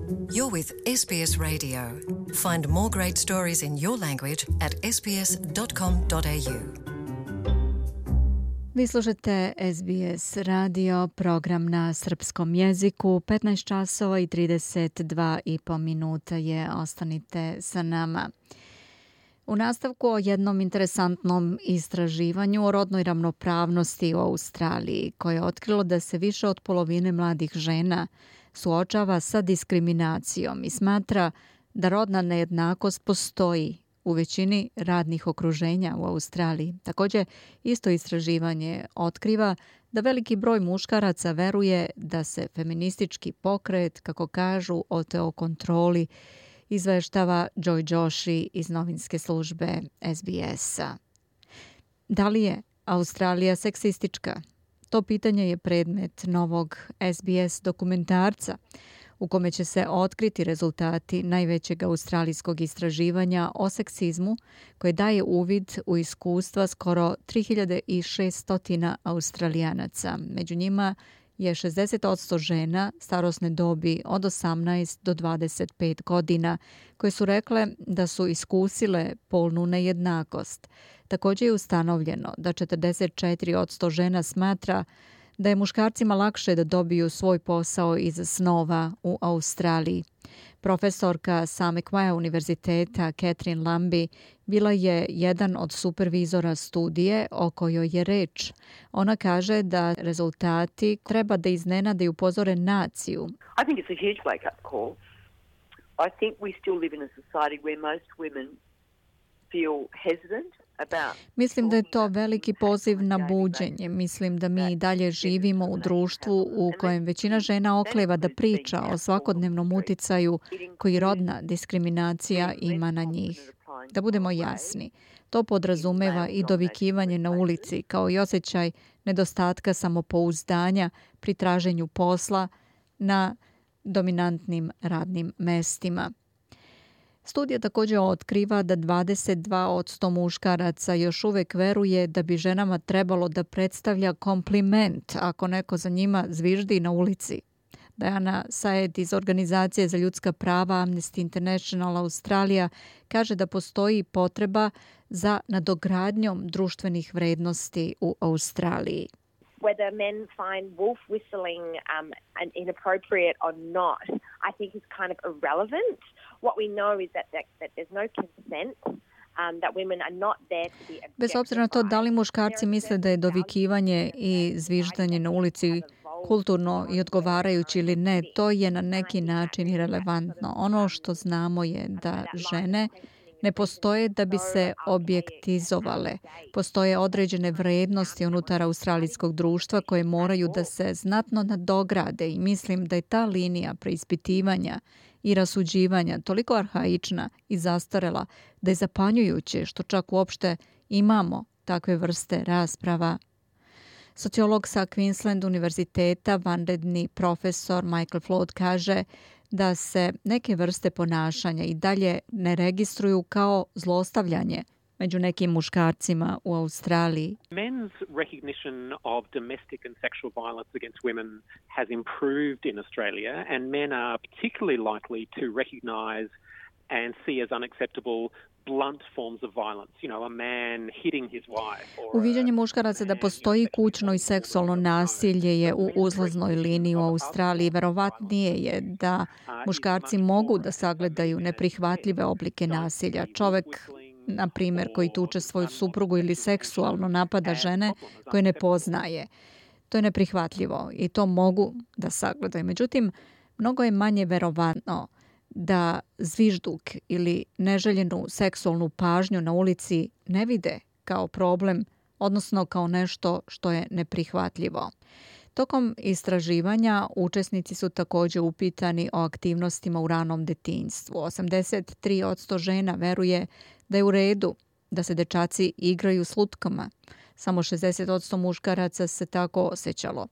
You're with SBS Radio. Find more great stories in your language at sbs.com.au. Vi slušate SBS radio, program na srpskom jeziku. 15 časova i 32,5 minuta je. Ostanite sa nama. U nastavku o jednom interesantnom istraživanju o rodnoj ravnopravnosti u Australiji, koje je otkrilo da se više od polovine mladih žena suočava sa diskriminacijom i smatra da rodna nejednakost postoji u većini radnih okruženja u Australiji. Također, isto istraživanje otkriva da veliki broj muškaraca veruje da se feministički pokret, kako kažu, oteo kontroli, izveštava Joy Joshi iz novinske službe SBS-a. Da li je Australija seksistička? To pitanje je predmet novog SBS dokumentarca u kome će se otkriti rezultati najvećeg australijskog istraživanja o seksizmu koje daje uvid u iskustva skoro 3600 Australijanaca. Među njima je 60% žena starosne dobi od 18 do 25 godina koje su rekle da su iskusile polnu nejednakost. Također je ustanovljeno da 44% žena smatra da je muškarcima lakše da dobiju svoj posao iz snova u Australiji. Profesorka sa Macquarie univerziteta Catherine Lambie bila je jedan od supervizora studije o kojoj je reč. Ona kaže da rezultati treba da iznenade i upozore naciju. I think it's a huge wake-up call. I think we still live in a society where most women feel hesitant. Mislim da je to veliki poziv na buđenje. Mislim da mi i dalje živimo u društvu u kojem većina žena okleva da priča o svakodnevnom uticaju koji rodna diskriminacija ima na njih. Da budemo jasni, to podrazumeva i dovikivanje na ulici, kao i osjećaj nedostatka samopouzdanja pri traženju posla na dominantnim radnim mestima. Studija također otkriva da 22% muškaraca još uvijek veruje da bi ženama trebalo da predstavlja kompliment ako neko za njima zviždi na ulici. Diana Saed iz Organizacije za ljudska prava Amnesty International Australija kaže da postoji potreba za nadogradnjom društvenih vrednosti u Australiji. Whether men find wolf whistling inappropriate or not, I think is kind of irrelevant. What we know is that there's no consent, that women are not there to be objectified. Bez obzira na to da li muškarci misle da je dovikivanje i zviždanje na ulici kulturno i odgovarajući ili ne, to je na neki način irelevantno. Ono što znamo je da žene ne postoje da bi se objektizovale. Postoje određene vrednosti unutar australijskog društva koje moraju da se znatno nadograde i mislim da je ta linija preispitivanja i rasuđivanja toliko arhaična i zastarela da je zapanjujuće što čak uopšte imamo takve vrste rasprava. Sociolog sa Queensland univerziteta, vanredni profesor Michael Flood kaže da se neke vrste ponašanja i dalje ne registruju kao zlostavljanje među nekim muškarcima u Australiji. Men's recognition of domestic and sexual violence against women has improved in Australia, and men are particularly likely to recognize and see as unacceptable blunt forms of violence, you know, a man hitting his wife. Uviđanje muškaraca da postoji kućno i seksualno nasilje je u uzlaznoj liniji u Australiji. Verovatnije je da muškarci mogu da sagledaju neprihvatljive oblike nasilja. Čovek, na primjer, koji tuče svoju suprugu ili seksualno napada žene koje ne poznaje. To je neprihvatljivo i to mogu da sagledaju. Međutim, mnogo je manje verovatno da zvižduk ili neželjenu seksualnu pažnju na ulici ne vide kao problem, odnosno kao nešto što je neprihvatljivo. Tokom istraživanja učesnici su također upitani o aktivnostima u ranom detinjstvu. 83% žena veruje da je u redu da se dečaci igraju s lutkama. Samo 60% muškaraca se tako osjećalo.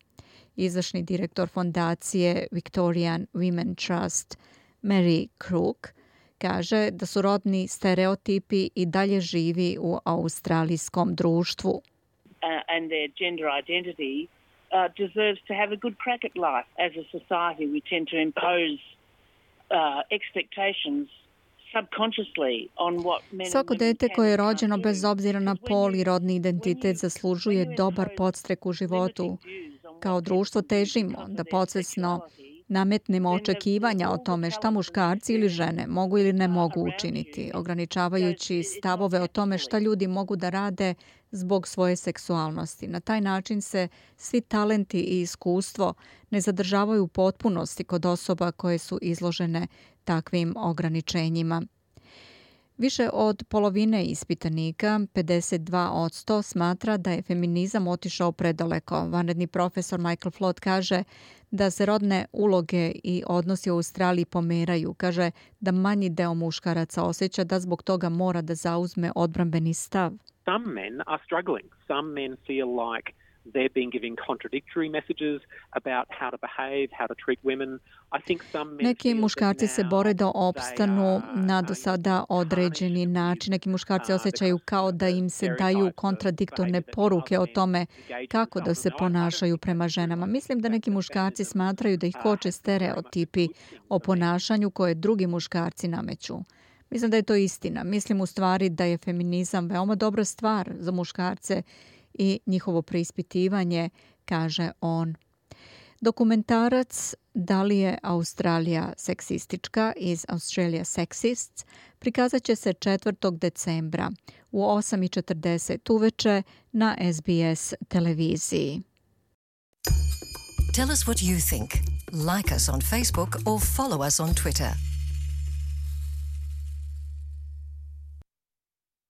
Izvršni direktor fondacije Victorian Women Trust Mary Crook kaže da su rodni stereotipi i dalje živi u australijskom društvu. And their gender identity deserves to have a good crack at life. As a society we tend to impose expectations subconsciously on what men Svako and women dete can koje je and can't rođeno do. bez obzira na Because pol when i rodni you identitet zaslužuje dobar impose podstrek u životu. limiting views on Kao what društvo people do težimo because da of their podsvesno sexuality, nametnemo then the očekivanja o all the tome šta talents and muškarci ili žene mogu ili ne mogu around učiniti, you, ograničavajući it's not stavove o tome šta fully. ljudi mogu da rade zbog svoje seksualnosti. Na taj način se svi talenti i iskustvo ne zadržavaju u potpunosti kod osoba koje su izložene takvim ograničenjima. Više od polovine ispitanika, 52%, smatra da je feminizam otišao predaleko. Vanredni profesor Michael Flood kaže da se rodne uloge i odnosi u Australiji pomeraju. Kaže da manji deo muškaraca osjeća da zbog toga mora da zauzme odbrambeni stav. Some men are struggling. Some men feel like they're being given contradictory messages about how to behave, how to treat women. I think some men Neki feel muškarci that se now bore da they opstanu are, na do sada određeni način. Neki muškarci osjećaju kao da im se daju kontradiktorne poruke o tome kako da se ponašaju prema ženama. Mislim da neki muškarci smatraju da ih koče stereotipi o ponašanju koje drugi muškarci nameću. Mislim da je to istina. Mislim u stvari da je feminizam veoma dobra stvar za muškarce i njihovo preispitivanje, kaže on. Dokumentarac Da li je Australija seksistička iz Australia Sexists prikazat će se 4. decembra u 8:40 uveče na SBS televiziji. Tell us what you think. Like us on Facebook or follow us on Twitter.